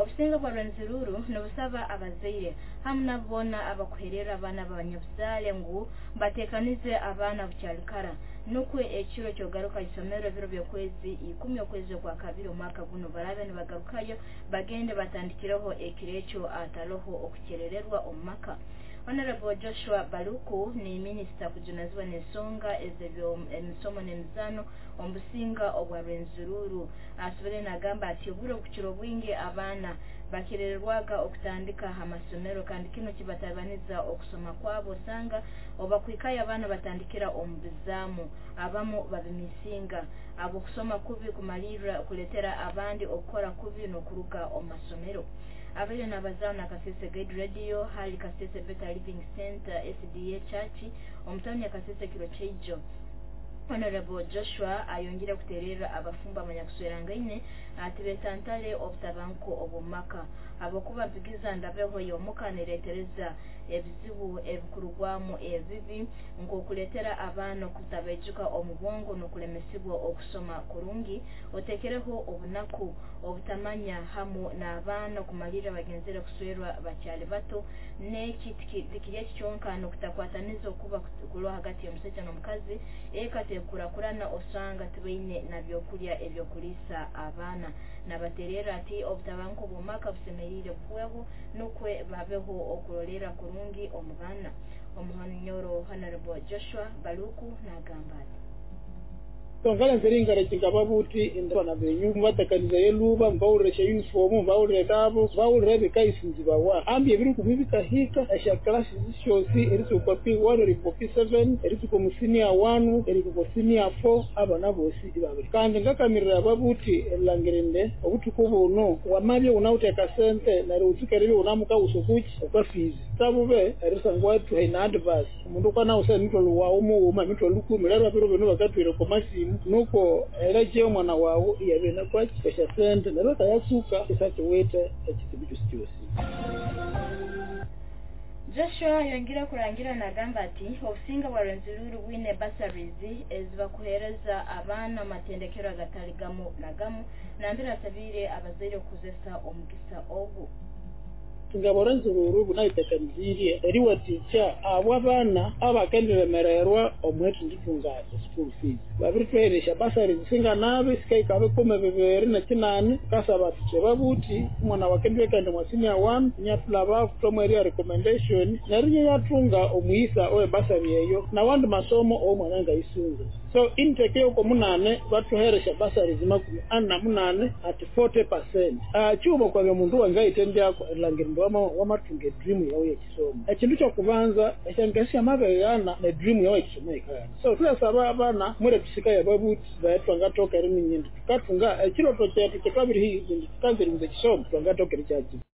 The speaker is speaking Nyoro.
Obusinga bwa Rwenzururu nibusaba abazaire hamu nabo boona abakuherera abaana b'abanyabuzaale ngu bateekanize abaana bukyali kara, nukwo ekiro kyogaruka isomero ebiro by'okwezi 10 okwezi okwa kabiri omwaka guno barabe nibagarukayo bagende batandikireho ekiro ekyo ataloho okukyerererwa omu maka. Honorable Joshua Baluku ni minisita kujunazibwa n'ensonga ez'emisomo n'emizaano omu businga obwa Rwenzururu. Asobole nagamba ati obwire obukukira obwingi abaana bakirererwaga okutandika amasomero, kandi kino kibatabaniza okusoma kwabo. Osanga obakwikayo abaana batandikira omu bizaamu, abamu babimisinga abokusoma kubi kumalirra kuletera abandi okukora kubi n'okuruga omu masomero. Abaire n'abazaaho na Kasese Guide Radio hali Kasese Better Living Center SDA Church omu tawuni ya Kasese kiro kyaijo. Honorable Joshua ayongire kutererra abafumbo abanyakuswerangaine ati betantale obutabanguko obw'omumaka, habwokuba mpigiza ndabeho y'omuka neretereza ebizibu ebikurugwamu ebibi nk'okuleetera abaana okutabaijuka omu bwongo n'okulemesibwa okusoma kurungi, otekereho obunaku, obutamanya hamu n'abaana okumalirra bagenzere kuswerwa bakyali bato. N'eki tikiri eki kyonka, n'okutakwataniza okuba kuroho hagati y'omusaija n'omukazi, eka tekurakurana, osanga tibaine na byokulya ebyokuliisa abaana. Nabatererra ati obutabanguko bw'omumaka busemeriire buhweho nukwe babeho okurolerra kurungi omu baana. Omuhonyoro Honorable Joshua Baluku nagamba ati Tongalenze ringarekinga babuti indabana benyu mubatekaniza yeluba, mubawulire uniform, mubawulire tabo, mubawulire ebikaisinzi bawa ambi ebiri kumi bikahika esya classes syosi erisuka P1 erikuko P7 erisuka mu senior 1 erikuko senior 4, abana bosi ibabiri. Kandi ngakamirira ababuti elangirinde obutuku buno wamabye unawuteka sente neryo utsukere unamuka usokuchi okwa fees tabube erisangwa tuhe na advice omundu kwana usa emitwalo wawu muwuma emitwalo 10 lero abiro bino bakatwire komasimu nuko eleje omwana wawu iyabena kwaki esya sente neryo kayasuka isakiwete ekizibu kyosi kyosi. Joshua yongera kurangira nagamba ati obusinga bwa Rwenzururu bwine bursaries ezibakuhereza abaana amatendekero agatali gamu na gamu, nambere asabiire abazaire okukozesa omugisa ogu. Ngabo Rwenzururu bunayitekanizirye eriwatikya abo abaana abakendiremererwa omwetu nditunga school fees babiritweresha bursaries singanabe sikaika 28 kasaba tuche babuti omwana wakendwekende mwa senior 1 nyatulaba kutomweria recommendation neryo yatunga omuyisa owe bursary eyo nawandi masomo omwana ngaisunza. So intake yoko munane batuheresha bursaries 48 at 40%. Chubo kwa mundu wangaitendyako elangirindwa wamatunga dream yawe yekisomo ekintu kyokubanza ekyangesi amabeyana ne dream yawe yekisomo ekayana. So tuyasaba abaana mwere tusika yababuti bayatwangatoka eriminyindi tukatunga ekiroto kyetu kyetwabiri hizi tukanzirimuza ekisomo twangatoka erikyaki.